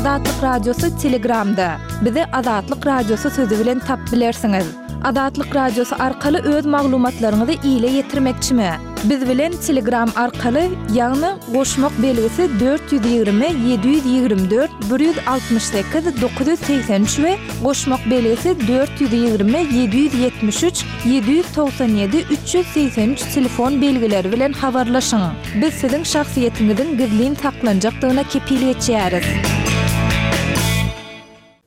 Azatlyk Radiosy Telegramda. Bizi Azatlyk Radiosy sözi bilen tap bilersiňiz. Azatlyk Radiosy arkaly öz maglumatlaryňyzy ile ýetirmekçimi? Biz bilen Telegram arkaly, ýagny goşmak belgisi 420 724 168 983 we goşmak belgisi 420 773 797 383 telefon belgileri bilen habarlaşyň. Biz siziň şahsyýetiňiziň gizlin saklanjakdygyna kepil geçýäris.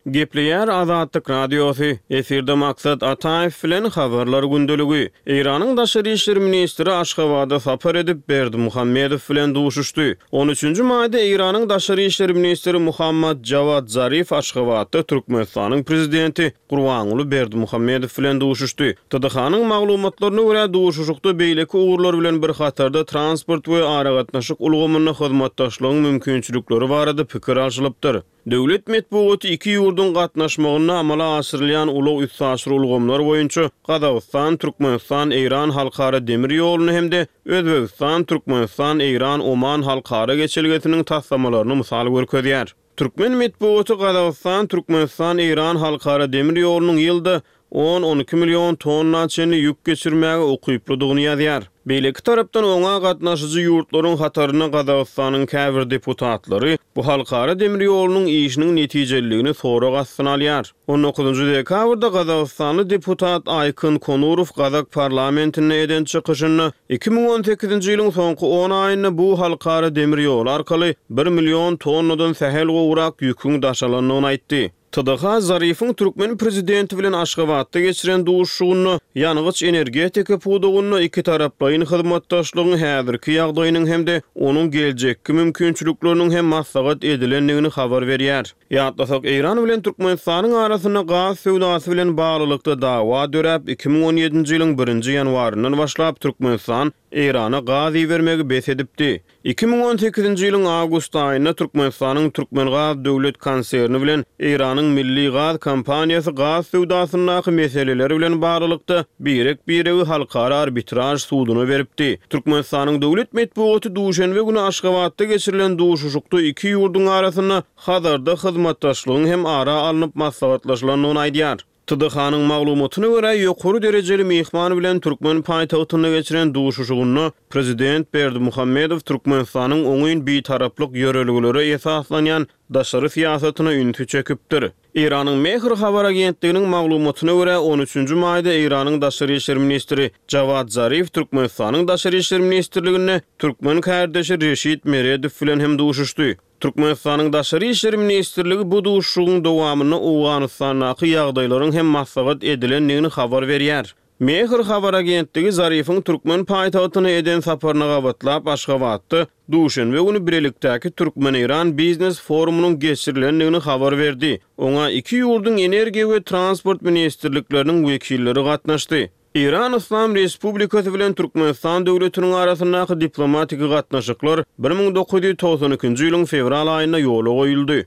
Gepleýär Azatlyk Radiosy, efirde Maksat Ataýew bilen Habarlar gündeligi. Eýranyň daşary işler ministri Aşgabada sapar edip, Berdimuhamedow bilen duşuşdy. On üçünji maýda Eýranyň daşary işler ministri Muhammad Jawad Zarif Aşgabatda Türkmenistanyň prezidenti Gurbanguly Berdimuhamedow bilen duşuşdy. TDH-nyň maglumatlaryna görä, duşuşykda beýleki ugurlar bilen bir hatarda transport we aragatnaşyk ulgamynda hyzmatdaşlygyň mümkinçilikleri barada pikir alşylypdyr. Döwlet metbugaty iki ýurduň gatnaşmagynda amala aşyrylýan ulag-üstaşyr ulgamlar boýunça Gazagystan, Türkmenistan, Eýran halkara demir ýoluny hem-de Özbegistan, Türkmenistan, Eýran, Oman halkara geçelgesiniň taslamalaryny mysal görkezýär. Türkmen metbugaty Gazagystan, Türkmenistan, Eýran halkara demir ýolunyň ýylda on-on iki million tonna çenli ýük geçirmäge ukyplydygyny ýazýar. Beýleki tarapdan, oňa gatnaşyjy ýurtlaryň hatarynda Gazagystanyň käbir deputatlary bu halkara demir ýolunyň işiniň netijeliligini sorag astyna alýar. On dokuzynjy dekabrda gazagystanly deputat Aýkyn Konurow gazak parlamentinde eden çykyşynda 2018-nji ýylyň soňky on aýynda bu halkara demir ýoly arkaly bir million tonnadan sähel gowrak ýüküň daşalandygyny aýtdy. TDH Zarifiň türkmen prezidenti bilen Aşgabatda geçiren duşuşygynda ýangyç-energetika pudagynda ikitaraplaýyn hyzmatdaşlygyň häzirki ýagdaýynyň hem-de onuň geljekki mümkinçilikleriniň hem maslahat edilendigini habar berýär. Ýatlasak, Eýran bilen Türkmenistanyň arasynda gaz söwdasy bilen baglylykda dawa döräp, 2017-nji ýylyň birinji ýanwaryndan başlap Türkmenistan Eýrana gaz ibermegi bes edipdi. 2018-nji ýylyň awgust aýynda Türkmenistanyň Türkmengaz döwlet konserni bilen Eýranyň Milli gaz kompaniýasy gaz söwdasyndaky meseleler bilen baglylykda birek-biregi halkara arbitraž suduna beripdi. Türkmenistanyň döwlet metbugaty duşenbe güni Aşgabatda geçirilen duşuşykda iki ýurduň arasynda Hazarda hyzmatdaşlygyň hem ara alnyp maslahatlaşylandygyny aýdýar. TDH-nyň maglumatyna görä, ýokary derejeli myhman bilen türkmen paýtagtynda geçiren duşuşygynda prezident Berdimuhamedow Türkmenistanyň oňyn bitaraplyk ýörelgelere esaslanýan daşary syýasatyna ünsi çekipdir. Eýranyň Mehr habar agentliginiň maglumatyna görä, on üçünji maýda Eýranyň daşary işler ministri Jawad Zarif Türkmenistanyň Daşary işler ministrliginde türkmen kärdeşi Reşit Meredow bilen hem duşuşdy. Türkmenistanyň Daşary işler ministrligi bu duşuşygyň dowamynda Owganystandaky ýagdaýlaryň hem maslahat edilendigini habar berýär. Mehr habar agentligi Zarifiň türkmen paýtagtyna eden saparyna gabatlap Aşgabatda duşenbe güni bilelikdäki türkmen-eýran biznes forumynyň geçirilendigini habar berdi. Oňa iki ýurduň energiýa we transport ministrlikleriniň wekilleri gatnaşdy. Eýran Yslam Respublikasy bilen Türkmenistan döwletiniň arasyndaky diplomatiki gatnaşyklar 1992-nji ýylyň fewral aýynda ýola goýuldy.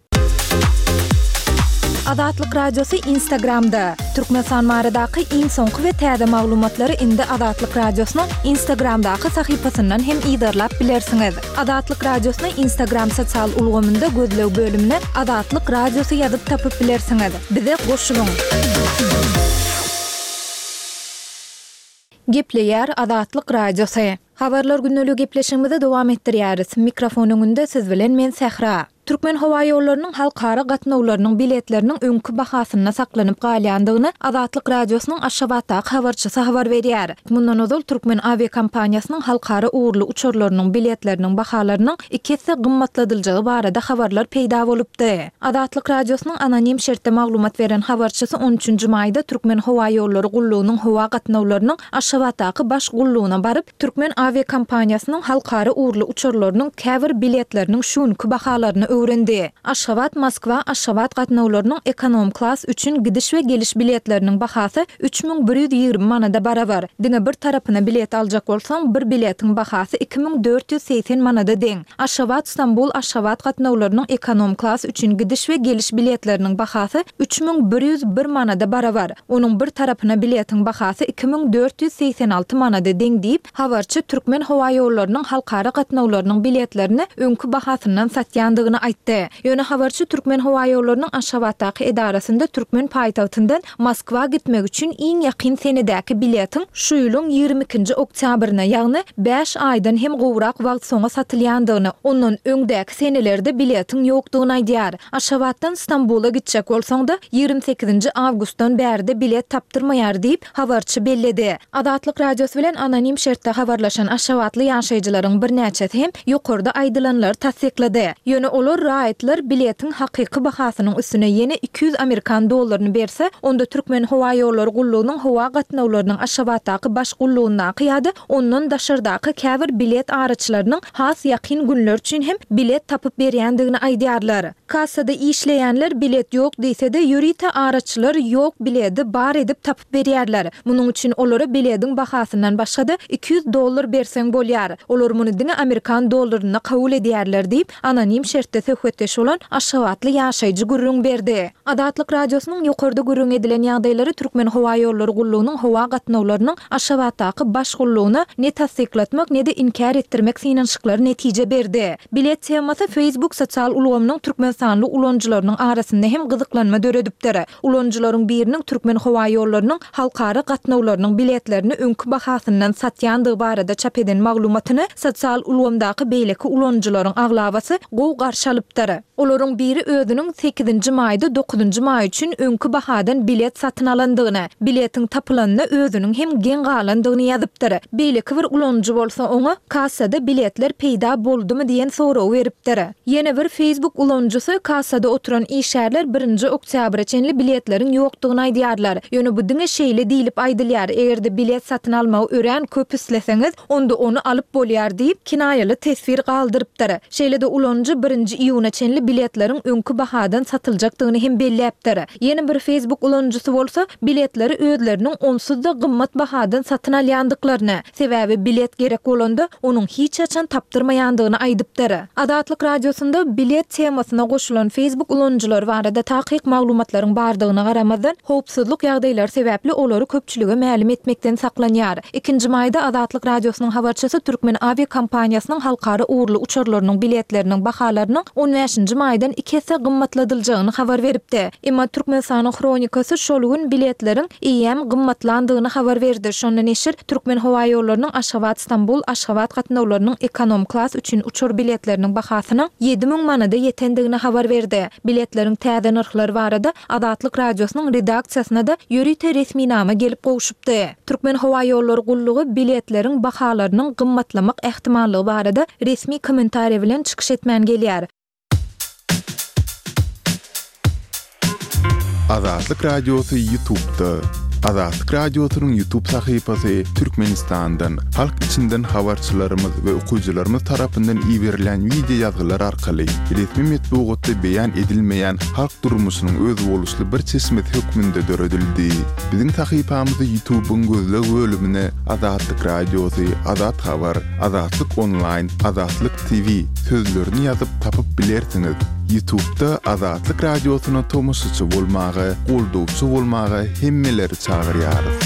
Azatlyk Radiosy Instagramda, Türkmenistan baradaky iň soňky we täze maglumatlary indi Azatlyk Radiosynyň Instagramdaky sahypasyndan hem yzarlap bilersiňiz. Azatlyk Radiosyny Instagram sosial ulgamynda gözleg bölümine Azatlyk Radiosy ýazyp tapyp bilersiňiz. Bize goşulyň! Gepleýär Azatlyk Radiosy. Habarlar gündeligi gepleşigimizi dowam etdirýäris. Mikrofon öňünde siz bilen men Sähra. Türkmenhowaýollarynyň halkara gatnawlarynyň biletleriniň öňki bahasynda saklanyp galýandygyny Azatlyk Radiosynyň Aşgabatdaky habarçysy habar berýär. Mundan ozal türkmen awiakompaniýasynyň halkara ugurly uçarlarynyň biletleriniň bahalarynyň iki esse gymmatladyljagy barada habarlar peýda bolupdy. Azatlyk Radiosynyň anonim şertde maglumat beren habarçysy on üçünji maýda Türkmenhowaýollary gullugynyň howa gatnawlarynyň Aşgabatdaky baş gullugyna baryp, türkmen awiakompaniýasynyň halkara ugurly uçarlarynyň käbir biletleriniň şu günki bahalaryny öwrendi. Aşgabat, Moskwa, Aşgabat gatnawlarynyň ekonom-klas üçin gidiş we geliş biletleriniň bahasy 3120 manada barabar. Diňe bir tarapyna bilet aljak bolsaň, bir biletiň bahasy 2480 manada deň. Aşgabat, Stambul, Aşgabat gatnawlarynyň ekonom-klas üçin gidiş we geliş biletleriniň bahasy 3101 manada barabar. Onuň bir tarapyna biletiň bahasy 2486 manada deň diýip, habarçy Türkmenhowaýollarynyň halkara gatnawlarynyň biletlerini öňki bahasyndan satýandygyny. aýtdy. Ýöne habarçy Türkmenhowaýollarynyň Aşgabatdaky edarasynda türkmen paýtagtyndan Moskwa gitmek üçin iň ýakyn senedäki biletiň şu ýylyň 22-nji oktýabryna, ýagny bäş aýdan hem gowrak wagt soňa satylýandygyny, ondan öňdäki senelerde biletiň ýokdugyny aýdýar. Aşgabatdan Stambula gitjek bolsaň-da, 28-nji awgustdan bärde bilet tapdyrmaýar diýip, habarçy belledi. Azatlyk Radiosy bilen anonim şertde habarlaşan aşgabatly ýaşaýjylaryň birnäçesi hem ýokarda aýdylanlary tassyklady. Ýöne olar raýatlar biletiň hakyky bahasynyň üstüne ýene 200 amerikan dollaryny berse, onda Türkmenhowaýollary gullugynyň howa gatnawlarynyň Aşgabatdaky baş gullugyndaky ýa-da ondan daşardaky käbir bilet araçylarynyň has ýakyn günler üçin hem bilet tapyp berýändigini aýdýarlar. Kassada işleýänler bilet ýok diýse-de, ýörite araçylar ýok biledi bar edip tapyp berýärler. Munuň üçin olara bilediň bahasyndan başga-da 200 dollar berseň bolýar. Olar muny diňe amerikan dollarynda kabul edýärler diýip, anonim şertde söhbetdeş bolan aşgabatly ýaşaýjy gürrüň berdi. Azatlyk Radiosynyň ýokarda gürrüňi edilen ýagdaýlary Türkmenhowaýollary gullugynyň howa gatnawlarynyň Aşgabatdaky baş gullugyna ne tassyklatmak, ne-de inkär etdirmek synanyşyklary netije berdi. Bilet temasy Facebook sosial ulgamynyň türkmenistanly ulanyjylarynyň arasynda hem gyzyklanma döredipdir. Ulanyjylaryň biriniň Türkmenhowaýollarynyň halkara gatnawlarynyň biletlerini öňki bahasyndan satýandygy barada çap eden maglumatyny sosial ulgamdaky beýleki ulanyjylaryň aglabasy gowy garşy alypdyr. Olaryň biri özüniň sekizinji maýda dokuzynjy maý üçin öňki bahadan bilet satyn alandygyny, biletiň tapylanyna özüniň hem geň galandygyny ýazypdyr. Beýleki bir ulanyjy bolsa oňa Kassada biletler peýda boldumy diýen soragy beripdir. Ýene bir Facebook ulanyjysy kassada oturan işgärler birinji oktýabra çenli biletleriň ýokdugyny aýdýarlar. Ýöne bu diňe şeýle diýlip aýdylýar, eger-de bilet satyn almagy örän köp isleseňiz, onda ony alyp bolýar diýip, kinaýaly teswir galdyrypdyr. Şeýle-de ulanyjy birinji iýuna çenli biletleriň öňki bahadan satyljakdygyny hem belläpdir. Ýene bir Facebook ulanyjysy bolsa, biletleri özleriniň onsuz-da gymmat bahadan satyn alýandyklaryny, sebäbi bilet gerek bolanda, onuň hiç haçan tapdyrmaýandygyny aýdypdyr. Azatlyk Radiosynda bilet temasyna goşulan Facebook ulanyjylary barada takyk maglumatlaryň bardygyna garamazdan, howpsuzlyk ýagdaýlary sebäpli olary köpçülige mälim etmekden saklanýar. Ikinji maýda Azatlyk Radiosynyň habarçysy Türkmen awiakompaniýasynyň halkara ugurly uçarlarynyň biletleriniň bahalarynyň on bäşinji maýdan iki esse gymmatladyljagyny habar beripdi. Emma Türkmenistanyň Hronikasy şol gün biletleriň eýýäm gymmatlandygyny habar berdi. Şonda neşir Türkmenhowaýollarynyň Aşgabat-Stambul, Aşgabat gatnawlarynyň ekonom klas üçin uçar biletleriniň bahasynyň 7000 manada ýetendigini habar berdi. Biletleriň täze nyrhlary barada Azatlyk Radiosynyň redaksiýasyna-da ýörite resminama gelip gowşupdy. Türkmenhowaýollary gullugy biletleriň bahalarynyň gymmatlamak ähtimallygy barada resmi kommentariý bilen çykyş etmän gelýär. Azatlyk Radiosy Ýutubda. Azatlyk Radiosynyň Ýutub sahypasy Türkmenistandan, halk içinden habarçylarymyz we okyjylarymyz tarapyndan iberilen wideo ýazgylar arkaly resmi metbugatda beýan edilmeýän halk durmuşynyň özboluşly bir çeşmesi hökmünde döredildi. Biziň sahypamyzy Ýutubyň gözleg bölümine Azatlyk Radiosy, Azat Habar, Azatlyk Onlaýn, Azatlyk TV sözlerini ýazyp tapyp bilersiňiz. Ýutubda Azatlyk Radiosyna tomaşaçy bolmaga, goldawçy bolmaga hemmeleri çagyrýarys.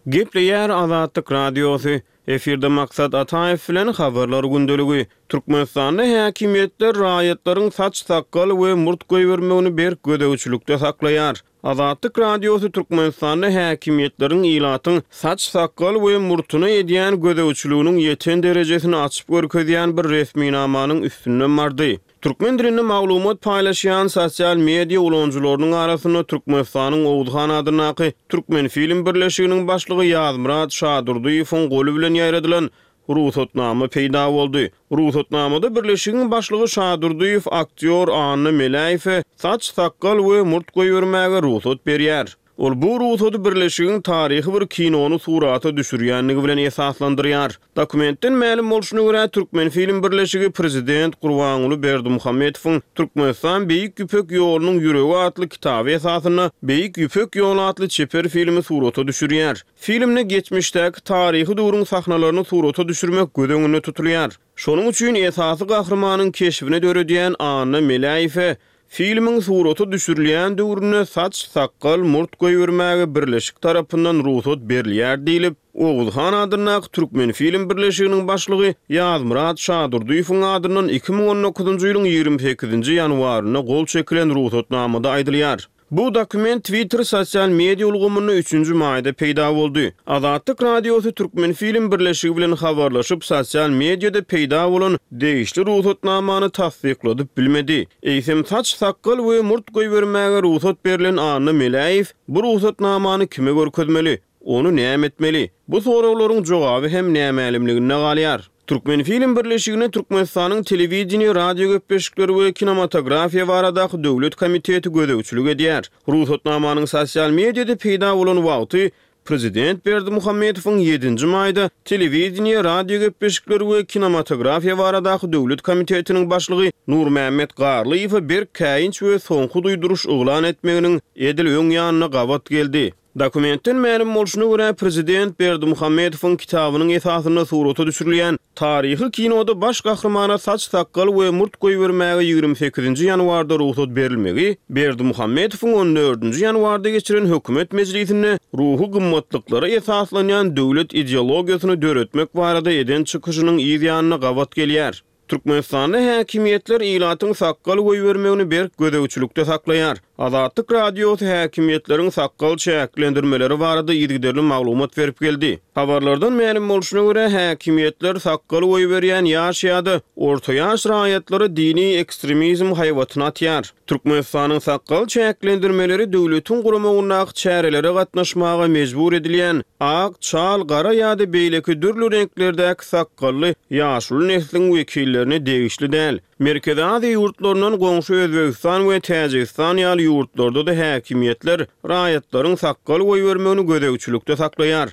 Gepleýär Azatlyk Radiosy, Efirde Maksat Ataýew bilen Habarlar gündeligi. Türkmenistanda häkimiýetler raýatlaryň saç-sakgal we murt goýbermegini berk gözegçilikde saklaýar. Azatlyk Radiosy Türkmenistanda häkimiýetleriň ilatyň saç-sakgal we murtuna edýän gözegçiliginiň ýeten derejesini açyp görkezýän bir resminamanyň üstünden bardy. Türkmen dilinde maglumat paýlaşýan sosial media ulanyjylarynyň arasynda Türkmenistanyň Oguzhan adyndaky Türkmenfilm birleşiginiň başlygy Ýazmyrat Şadurdyýewiň goly bilen ýaýradylan rugsatnama peýda boldy. Rugsatnamada birleşigiň başlygy Şadurdyýew aktýor Anna Meläýewe saç-sakgal we murt goýbermäge rugsat berýär. Ol bu rugsady birleşigiň taryhy bir kinony surata düşürýändigi bilen esaslandyrýar. Dokumentden mälim bolşuna görä, Türkmenfilm birleşigi prezident Gurbanguly Berdimuhamedowyň Türkmenistan Beýik Ýüpek ýolunyň ýüregi atly kitaby esasynda Beýik Ýüpek ýoly atly çeper filmi surata düşürýär. Filmde geçmişdäki taryhy döwrüň sahnalaryny surata düşürmek göz öňünde tutulýar. Şonuň üçin esasy gahrymanyň keşbini döredýän Anna Meläýewe. Filmiň surata düşürilýän döwründe saç, sakgal, murt goýbermäge birleşik tarapyndan rugsat berilýär diýlip, Oguz han adyndaky Türkmenfilm birleşiginiň başlygy Ýazmyrat Şadurdyýewiň adyndan 2019-njy ýylyň 28-nji ýanwarynda gol çekilen rugsatnamada aýdylýar. Bu dokument Twitter sosial media ulgamynda üçünji maýda peýda boldy. Azatlyk Radiosy Türkmenfilm birleşigi bilen habarlaşyp, sosial mediada peýda bolan degişli rugsatnamany tassykladyp bilmedi. Eýsem, saç-sakgal we murt goýbermäge rugsat berlen Anna Meläýew bu rugsatnamany kime görkezmeli? Ony näme etmeli? Bu soraglaryň jogaby hem nämälimliginde galýar. Türkmenfilm birleşigine Türkmenistanyň Telewideniýe, radiogepleşikler we kinematografiýa baradaky döwlet komiteti gözegçilik edýär. Rugsatnamanyň sosial mediada peýda bolan wagty prezident Berdimuhamedowyň ýedinji maýda Telewideniýe, radiogepleşikler we kinematografiýa baradaky döwlet komitetiniň başlygy Nurmämmet Garlyýewe berk käýinç we soňky duýduryş yglan etmeginiň edil öň ýanyna gabat geldi. Dokumentden mälim bolşuna görä, prezident Berdimuhamedowyň kitabynyň esasynda surata düşürilýän taryhy kinoda baş gahrymana saç-sakgal we murt goýbermäge 28-nji ýanwarda rugsat berilmegi Berdimuhamedowyň on dördünji ýanwarda geçiren hökümet mejlisinde ruhy gymmatlyklara esaslanýan döwlet ideologiýasyny döretmek barada eden çykyşynyň yz ýanyna gabat gelýär. Türkmenistanda häkimiýetler ilatyň sakgal goýbermegini berk gözegçilikde saklaýar. Azatlyk Radiosy häkimiýetleriň sakgal çäklendirmeleri barada yzygiderli maglumat berip geldi. Habarlardan mälim bolşuna görä, häkimiýetler sakgal goýberýän ýaş ýa-da orta ýaş raýatlara dini ekstremizm haýbatyny atýar. Türkmenistanyň sakgal çäklendirmeleri döwletiň guramagyndaky çärelere gatnaşmaga mejbur edilýän ak, çal, gara ýa-da beýleki dürli reňklerdäki sakgally ýaşuly nesliň wekillerine degişli däl. Merkezi Aziýa ýurtlaryndan goňşy Özbegistan we Täjigistan ýaly ýurtlarda-da häkimiýetler raýatlaryň sakgal goýbermegini gözegçilikde saklaýar.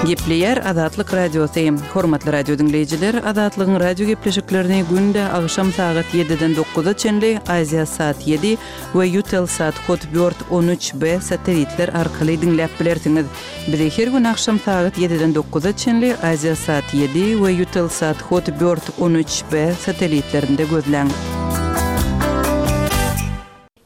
Gepleýär Azatlyk Radiosy. Hormatly radio diňleýjiler, Azatlygyň radio gepleşiklerini günde agşam sagat ýediden dokuza çenli Aziasat ýedi we Eutelsat Hotbird 13 B satelitler arkaly diňläp bilersiňiz. Bizi her gün agşam sagat ýediden dokuza çenli Aziasat ýedi we Eutelsat Hotbird 13 B satelitlerinde gözläň.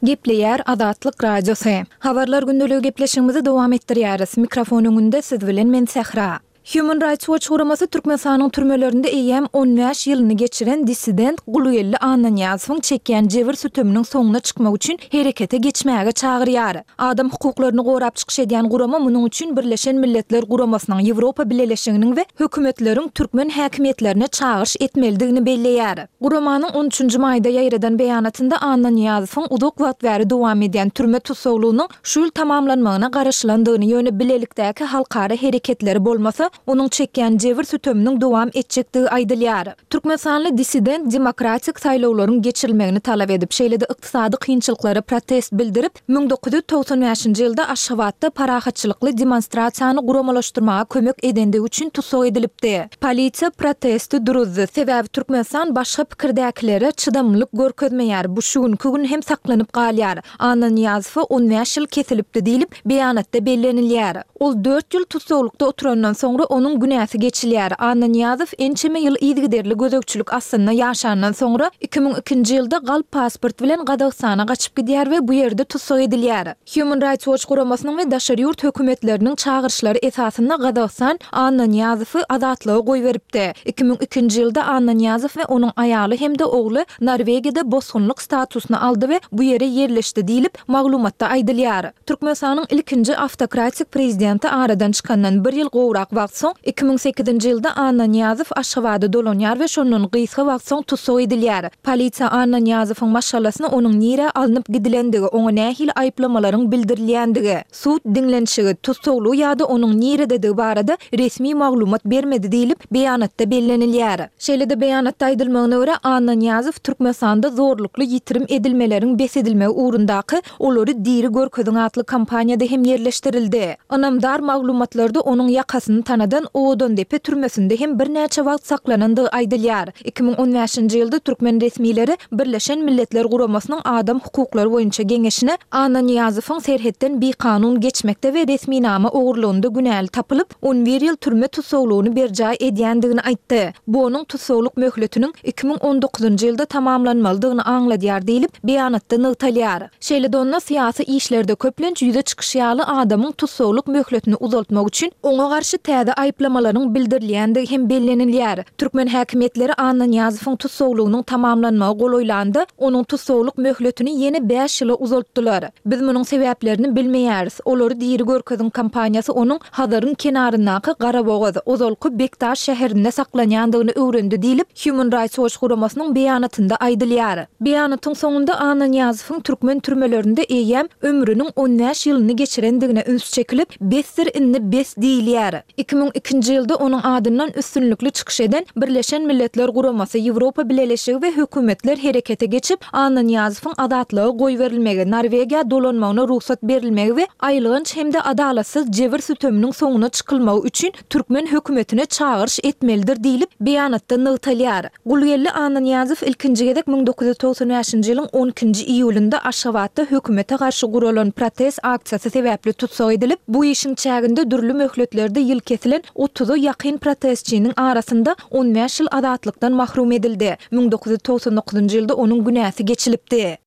Gepleýär Azatlyk Radiosy. Habarlar gündeligi gepleşigimizi dowam etdirýäris. Mikrofon öňünde siz bilen men Sähra. Human Rights Watch guramasy Türkmenistanyň türmelerinde eýýäm 15 ýylyny geçiren dissident Gulgeldi Annanyýazowyň çekýän jebir-süteminiň soňuna çykmak üçin herekete geçmäge çagyrýar. Adam hukuklaryny gorap çykyş edýän gurama munuň üçin Birleşen Milletler Guramasynyň, Ýewropa Bileleşiginiň we hökümetleriň türkmen häkimiýetlerine çagyryş etmelidigini belleýär. Guramanyň on üçünji maýda ýaýradan beýanatynda Annanyýazowyň uzak wagt bäri dowam edýän türme tussaglygynyň şu ýyl tamamlanmagyna garaşylandygyny, ýöne bilelikdäki halkara hereketleri bolmasa, onuň çekýän jebir-süteminiň dowam etjekdigi aýdylýar. Türkmenistanly dissident demokratik saýlawlaryň geçirilmegini talap edip, şeýle-de ykdysady kynçylyklara protest bildirip, 1995-nji ýylda Aşgabatda parahatçylykly demonstrasiýany guramalaşdyrmaga kömek edendigi üçin tussag edilipdi. Polisiýa protesti duruzdy, sebäbi Türkmenistan başga pikirdäkilere çydamlylyk görkezmeýär, bu şu günki gün hem saklanyp galýar. Annanyýazowa 15 ýyl kesilipdi diýlip, beýanatda bellenilýär. Ol dört ýyl tussaglykda oturandan soňra onuň günäsi geçilýär. Annanyýazow ençeme ýyl yzygiderli gözegçilik astynda ýaşandan soňra, 2002-nji ýylda galp pasport bilen Gazagystana gaçyp gidýär we bu ýerde tussag edilýär. Human Rights Watch guramasynyň we daşary ýurt hökümetleriniň çagyryşlary esasynda Gazagystan Annanyýazowy azatlyga goýberipdi. 2002-nji ýylda Annanyýazow we onuň aýaly hem-de ogly Norwegiýada bosgunlyk statusyny aldy we bu ýere ýerleşdi diýlip, Maglumatda aýdylýar. Türkmenistanyň ilkinji awtokratik prezidenti aradan çykandan bir ýyl gowrak wagt soň, 2008-nji ýylda Annanyýazow Aşgabada dolanýar we şondan gysga wagt soň tussag edilýär. Polisiýa Annanyýazowyň maşgalasyna onuň nirä alnyp gidilendigi, oňa nähili aýyplamalaryň bildirilýändigi, sud diňlenişigi, tussaglygy ýa-da onuň nirededigi barada resmi maglumat bermedi diýlip, beýanatda bellenilýär. Şeýle-de beýanatda aýdylmagyna görä, Annanyýazow Türkmenistanda zorlukly ýitirim edilmeleriň bes edilmegi ugrundaky Olary diri görkeziň atly kampaniýada hem ýerleşdirildi. Ynamdar maglumatlarda onuň ýakasyny tanaýar. tanadan Owadandepe türmesinde hem birnäçe wagt saklanandygy aýdylýar. 2015-nji ýylda türkmen resmileri Birleşen Milletler Guramasynyň Adam hukuklary boýunça geňeşine Annanyýazowyň serhetden bikanun geçmekde we resminama ogurlygynda günäli tapylyp, on bir ýyl türme tussaglygyny berjaý edýändigini aýtdy. Bu onuň tussaglyk möhletiniň 2019-njy ýylda tamamlanmalydygyny aňladýar diýlip, beýanatda nygtalýar. Şeýle-de onda syýasy işlerde köplenç ýüze çykyşy ýaly adamyň tussaglyk möhletini uzaltmak üçin oňa garşy täze aýyplamalaryň bildirilýändigi hem bellenilýär. Türkmen häkimiýetleri Annanyýazowyň tussaglygynyň tamamlanmagy golaýlanda, onuň tussaglyk möhletini ýene bäş ýyla uzaltdylar. Biz munuň sebäplerini bilmeýäris. Olary diri görkeziň kampaniýasy onuň Hazaryň kenaryndaky Garabogaz, ozalky Bekdaş şäherinde saklanýandygyny öwrendi diýlip, Human Rights Watch guramasynyň beýanatynda aýdylýar. Beýanatyň soňunda Annanyýazowyň türkmen türmelerinde eýýäm ömrüniň on bäş ýylyny geçirendigine üns çekilip, Besdir indi bes diýilýär. 2002-nji ýylda onuň adyndan üstünlikli çykyş eden Birleşen Milletler Guramasy, Ýewropa Bileleşigi we hökümetler herekete geçip, Annanyýazowyň azatlyga goýberilmegi, Norwegiýa dolanmagyna rugsat berilmegi we aýylganç hem-de adalatsyz jebir-süteminiň soňuna çykylmagy üçin türkmen hökümetine çagyryş etmelidir diýlip, beýanatda nygtalýar. Gulgeldi Annanyýazow ilkinji gezek 1995-nji ýylyň on ikinji iýulynda Aşgabatda hökümete garşy guralan protest aksiýasy sebäpli tussag edilip, bu işiň çäginde dürli möhletlerde ýyl kesilen otuza ýakyn protestçiniň arasynda on bäş ýyl azatlykdan mahrum edildi. 1999-njy ýylda onuň günäsi geçilipdi.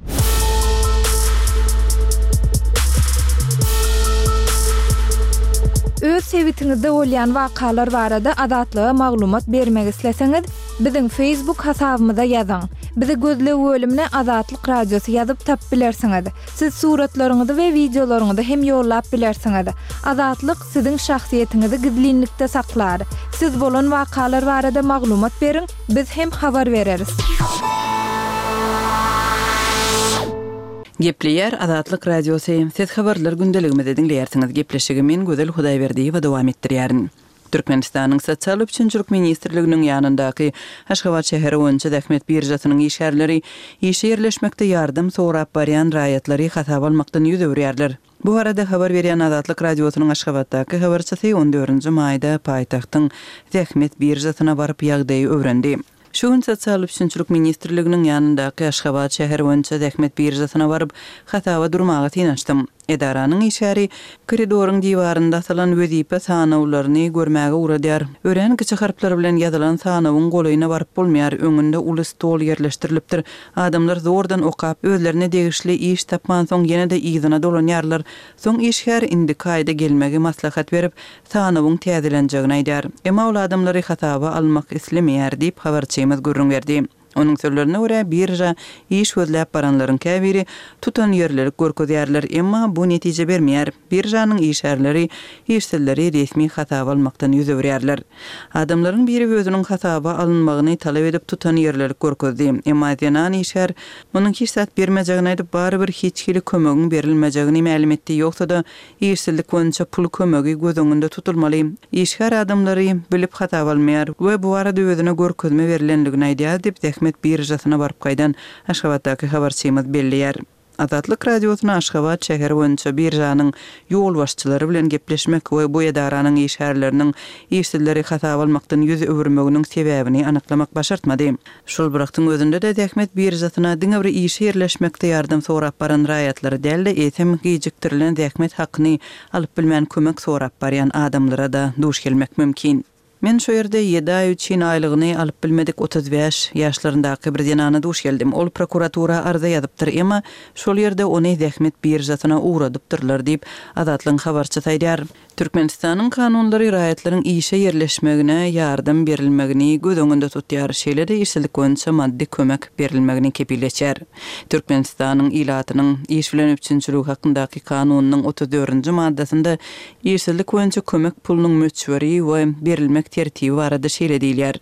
Öz sebitiňizde bolýan wakalar barada Azatlyga maglumat bermek isleseňiz, biziň Facebook hasabymyza ýazyň. Bizi gözleg bölümine Azatlyk Radiosy ýazyp tapyp bilersiňiz. Siz suratlaryňyzy we wideolaryňyzy hem ýollap bilersiňiz. Azatlyk siziň şahsyýetiňizi gizlinlikde saklar. Siz bolan wakalar barada maglumat beriň, biz hem habar bereris. Gepleýär Azatlyk Radiosy, Siz Habarlar gündeligimizi diňleýärsiňiz. Gepleşigi men Gözel Hudaýberdiýewa dowam etdirýärin. Türkmenistanyň Sosial üpjünçilik ministrliginiň ýanyndaky Aşgabat şäheri boýunça zähmet biržasynyň işgärleri işe ýerleşmekde ýardam sorap barýan raýatlary hasaba almakdan ýüz öwürýärler. Bu barada habar berýän Azatlyk Radiosynyň Aşgabatdaky habarçysy on dördünji maýda paýtagtyň zähmet biržasyna baryp ýagdaýy öwrendi. Şu gün Sosial üpjünçilik ministrliginiň ýanyndaky Aşgabat şäheri boýunça zähmet biržasyna baryp, hasaba durmaga synanyşdym. Edaranyň işgäri koridoryň diwarynda asylan wezipe sanawlaryny görmäge ugradýar. Örän kiçi harplar bilen ýazylan sanawyň golaýyna baryp bolmaýar, öňünde uly stol ýerleşdirilipdir. Adamlar zordan okap, özlerine degişli iş tapmansoň ýene-de yzyna dolanýarlar. Soň işgär indiki aýda gelmegi maslahat berip, sanawyň täzelenjegini aýdýar. Emma ol adamlary hasaba almak islemeýär diýip, habarçymyz gürrüň berdi. Onuň sözlerine görä, birža iş gözläp baranlaryň käbiri tutanýerlilik görkezýärler, emma bu netije bermeýär. Biržanyň işgärleri işsizleri resmi hasaba almakdan ýüz öwürýärler. Adamlaryň biri özüniň hasaba alynmagyny talap edip tutanýerlilik görkezdi. Emma zenan işgär munuň hiç zat bermejegini aýdyp, barybir hiç hili kömegiň berilmejegini mälim etdi, ýogsa-da Işsizlik boýunça pul kömegi göz öňünde tutulmaly. Işgär adamlary bilip hasaba almaýar we bu barada özüne görkezme berlendigini aýdýar diýip, zähmet biržasyna baryp gaýdan Aşgabatdaky habarçymyz belleýär. Azatlyk Radiosyna Aşgabat şäheri boýunça biržanyň ýolbaşçylary bilen gepleşmek we bu edaranyň işgärleriniň işsizleri hasaba almakdan ýüz öwürmeginiň sebäbini anyklamak başartmady. Şol bir wagtyň özünde-de zähmet biržasyna diňe bir işe ýerleşmekde ýardam sorap baran raýatlary däl-de, eýsem, gijikdirilen zähmet hakyny alyp bilmän kömek sorap barýan adamlara-da duş gelmek mümkin. Men şo ýerde ýedi aý üçin aýlygyny alyp bilmedik 35 ýaşlaryndaky bir zenana duş geldim. Ol prokuratura arza ýazypdyr, emma şol ýerde ony zähmet biržasyna ugradypdyrlar diýip, Azatlygyň habarçysy aýdýar. Türkmenistanyň kanunlary raýatlaryň işe ýerleşmegine ýardam berilmegini göz öňünde tutýar, şeýle-de işsizlik boýunça maddy kömek berilmegini kepil geçýär. Türkmenistanyň ilatynyň iş bilen üpjünçiligi hakyndaky kanunynyň otuz dördünji maddasynda işsizlik boýunça kömek pulunyň möçberi we berilmek tertibi barada şeýle diýilýär,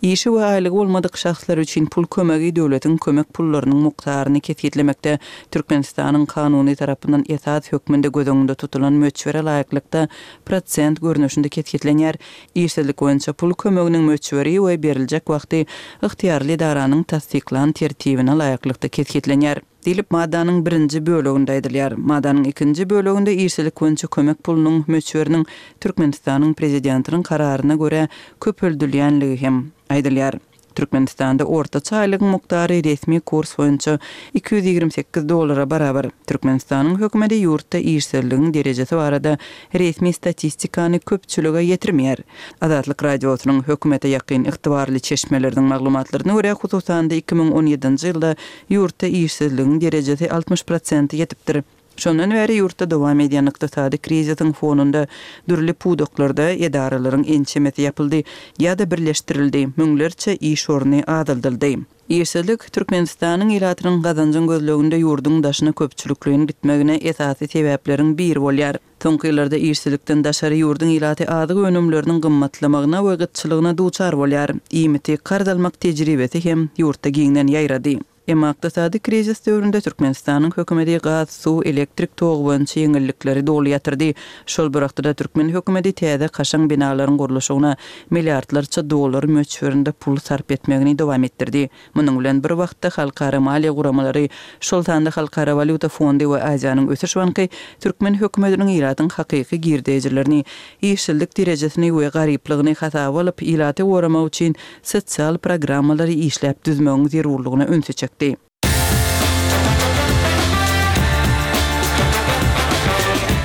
Işi we aýlygy bolmadyk şahslar üçin pul kömegi döwletiň kömek pullarynyň mukdaryny kesgitlemekde Türkmenistanyň kanuny tarapyndan esas hökmünde göz öňünde tutulan möçbere laýyklykda prosent görnüşinde kesgitlenýär. Işsizlik boýunça pul kömeginiň möçberi we beriljek wagty ygtyýarly edaranyň tassyklan tertibine laýyklykda kesgitlenýär. Diýlip, maddanyň birinji böleginde aýdylýar. Maddanyň ikinji böleginde işsizlik boýunça kömek pulunyň möçberiniň Türkmenistanyň Prezidentiniň kararyna görä köpeldilýänligi hem aýdylýar. Türkmenistanda ortaça aýlygyň mukdary resmi kurs boýunça 228 dollara barabar. Türkmenistanyň hökümeti ýurtda işsizligiň derejesi barada resmi statistikany köpçülige ýetirmeýär. Azatlyk Radiosynyň hökümete ýakyn ygtybarly çeşmeleriniň maglumatlaryna görä, hususan-da 2017-nji ýylda ýurtda işsizligiň derejesi 60 prosente ýetipdir. Şondan bäri ýurtda dowam edýän ykdysady krizisiň fonunda dürli pudaklarda edaralaryň ençemesi ýapyldy ýa-da birleşdirildi, müňlerçe iş orny azaldyldy. Işsizlik Türkmenistanyň ilatynyň gazanjyň gözleginde ýurduň daşyna köpçülikleýin gitmegine esasy sebäpleriň biri bolýar. Soňky ýyllarda işsizlikden daşary ýurduň ilaty azyk önümleriniň gymmatlamagyna we gytçylygyna duçar bolýar. Iýmiti karz almak tejribesi hem ýurtda giňden ýaýrady. Emma ykdysady krizis döwründe Türkmenistanyň hökümeti gaz, suw, elektrik togy boýunça ýeňillikleri doly ýatyrdy. Şol bir wagtda-da türkmen hökümeti täze kaşaň binalaryň gurluşygyna milliardlarça dollar möçberinde pul sarp etmegini dowam etdirdi. Munuň bilen bir wagtda halkara maliýe guramalary, şol sanda Halkara walýuta fondy we Aziýanyň ösüş banky türkmen hökümetiniň ilatyň hakyky girdejilerini, işsizlik derejesini we garyplygyny hasaba alyp, ilaty goramak üçin sosial programmalary işläp düzmegiň zerurlygyna ünsi çekdi.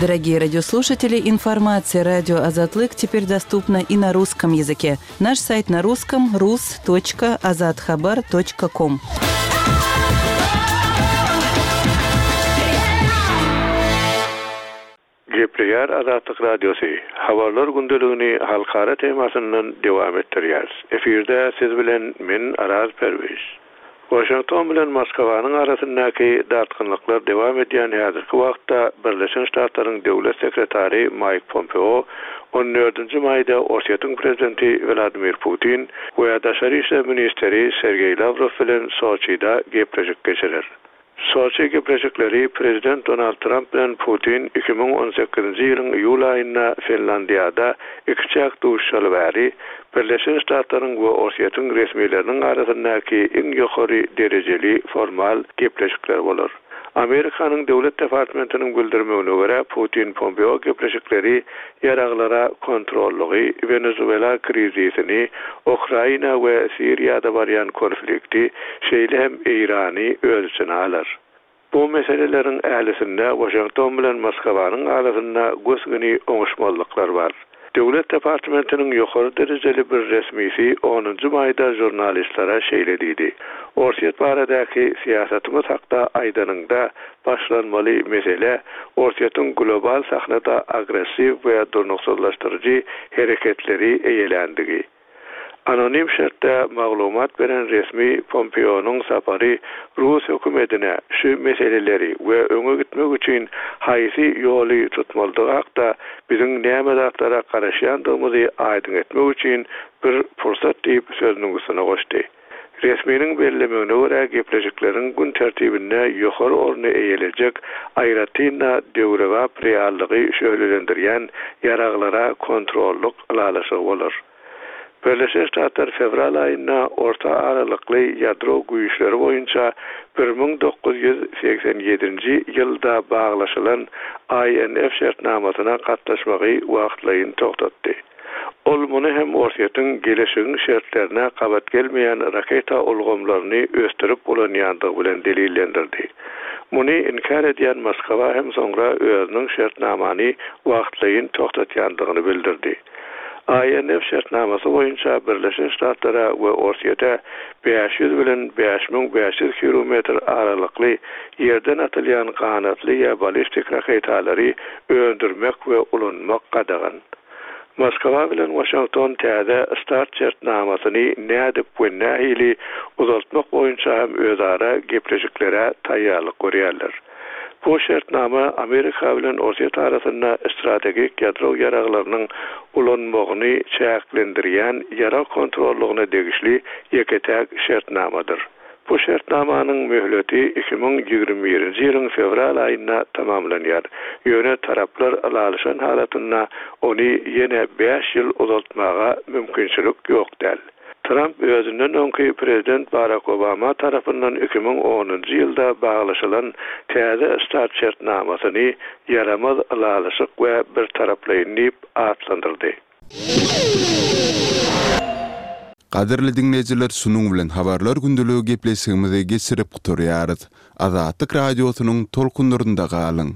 Дорогие радиослушатели, информация радио Азатлык теперь доступна и на русском языке. Наш сайт на русском rus.azathabar.com. Gepleýär Azatlyk Radiosy, Habarlar gündeligini halkara temasyndan dowam etdirýäris. Efirde siz bilen men Araz Perwiz. Waşington bilen Moskwanyň arasyndaky dartgynlyklar dowam edýän häzirki wagtda Birleşen Ştatlaryň Döwlet sekretary Maýk Pompeo on dördünji maýda Orsýetiň prezidenti Wladimir Putin we daşary işler ministri Sergeý Lawrow bilen Soçide gepleşik geçirer. Soçi gepleşikleri prezident Donald Tramp bilen Putin 2018-nji ýylyň iýul aýynda Finlandiýada ikiçäk duşuşaly bäri, Birleşen Ştatlaryň we Orsýetiň resmileriniň arasyndaky iň ýokary derejeli formal gepleşikler bolar. Amerikanyň Döwlet departmentiniň bildirmegine görä, Putin-Pompeo gepleşikleri ýaraglara kontrollygy, Wenezuela krizisini, Ukraina we Siriýada barýan konflikti, şeýle hem Eýrany öz içine alar. Bu meseleleriň ählisinde Waşington bilen Moskwanyň arasynda gös-göni oňuşmazlyklar bar. Döwlet departamentiniň ýokary derejeli bir resmisi onunjy maýda žurnalistlere şeýle diýdi, Orsýet baradaky syýasatymyz hakda aýdanyňda, başlanmaly mesele Orsýetiň global sahnada agressiw we durnuksyzlaşdyryjy hereketleri eýeländigi. Anonim şertde maglumat beren resmi Pompeonyň sapary rus hökümetine şu meseleleri we öňe gitmek üçin haýsy ýoly tutmalydygy hakda biziň näme zatlara garaşýandygymyzy aýdyň etmek üçin bir pursat diýip sözüniň üstüne goşdy. Resminiň bellemegine görä, gepleşikleriň gün tertibinde ýokary orny eýelejek, aýratyn-da, döwrebap reallygy şöhlelendirýän ýaraglara kontrollyk ylalaşygy bolar. Birleşen Ştatlar fewral aýynda orta aralykly ýadro güýçleri boýunça 1987-nji ýylda baglaşylan INF şertnamasyna gatnaşmagy wagtlaýyn togtatdy. Ol muny hem Orsýetiň geleşigiň şertlerine gabat gelmeýän raketa ulgamlaryny ösdürip ulanýandygy bilen delillendirdi. Muny inkär edýän Moskwa hem soňra özüniň şertnamany wagtlaýyn togtatýandygyny bildirdi. INF şertnamasy boýunça Birleşen Ştatlara we Orsýete 500 bilen 5500 kilometr aralykly ýerden atylýan ganatly ýa ballistik raketalary öndürmek we ulanmak gadagan. Moskwa bilen Waşington täze start şertnamasyny nädip we nähili uzaltmak boýunça hem özara gepleşiklere taýýarlyk görýärler. Bu şertnama Amerika bilen Orsýet arasynda strategik ýadro ýaraglarynyň ulanmagyny çäklendirýän ýarag kontrollygyna degişli ýeke-täk şertnamadyr. Bu şertnamanyň möhleti 2021-nji ýylyň fewral aýynda tamamlanýar, ýöne taraplar ylalaşan halatynda ony ýene bäş ýyl uzaltmaga mümkinçilik ýok däl. Tramp özünden öňki prezident Barak Obama tarapyndan 2010-njy ýylda baglaşylan Täze start şertnamasyny ýaramaz ylalaşyk we birtaraplaýyn diýip atlandyrdy. Gadyrly diňleýjiler şunuň bilen Habarlar gündeligi gepleşigimizi geçirip gutarýarys. Azatlyk Radiosynyň tolkunlarynda galyň!